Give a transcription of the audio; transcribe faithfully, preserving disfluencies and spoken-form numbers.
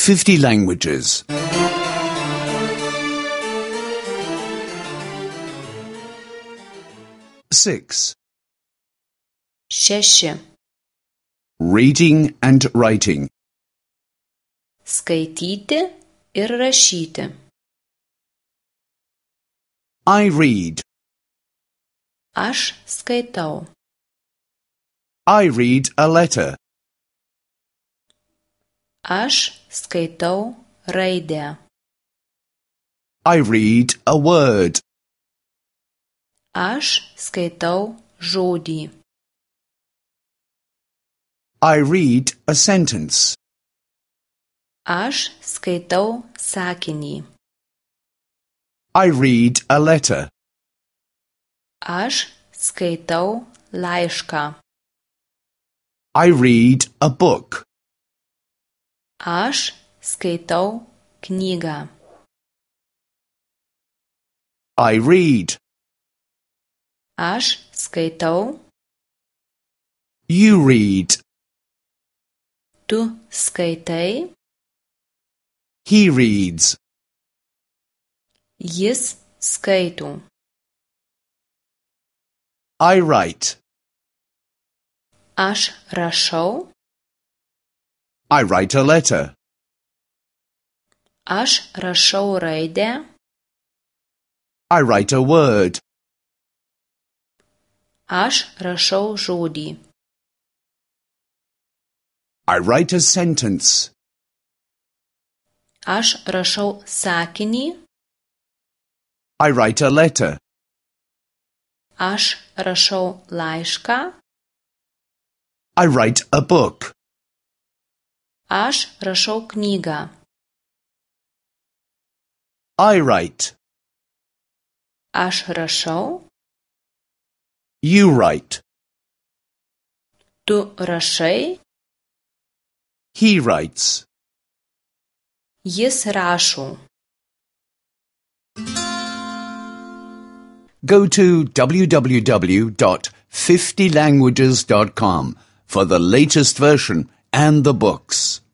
fifty languages. Six. Šeši. Reading and writing. Skaityti ir rašyti. I read. Aš skaitau. I read a letter. Aš skaitau raidę. I read a word. Aš skaitau žodį. I read a sentence. Aš skaitau sakinį. I read a letter. Aš skaitau laišką. I read a book. Aš skaitau knygą. I read. Aš skaitau. You read. Tu skaitai. He reads. Jis skaito. I write. Aš rašau. I write a letter. Aš rašau raidę. I write a word. Aš rašau žodį. I write a sentence. Aš rašau sakinį. I write a letter. Aš rašau laišką. I write a book. Aš rašau knygą. I write. Aš rašau. You write. Tu rašai. He writes. Jis rašo. Go to w w w dot fifty languages dot com for the latest version and the books.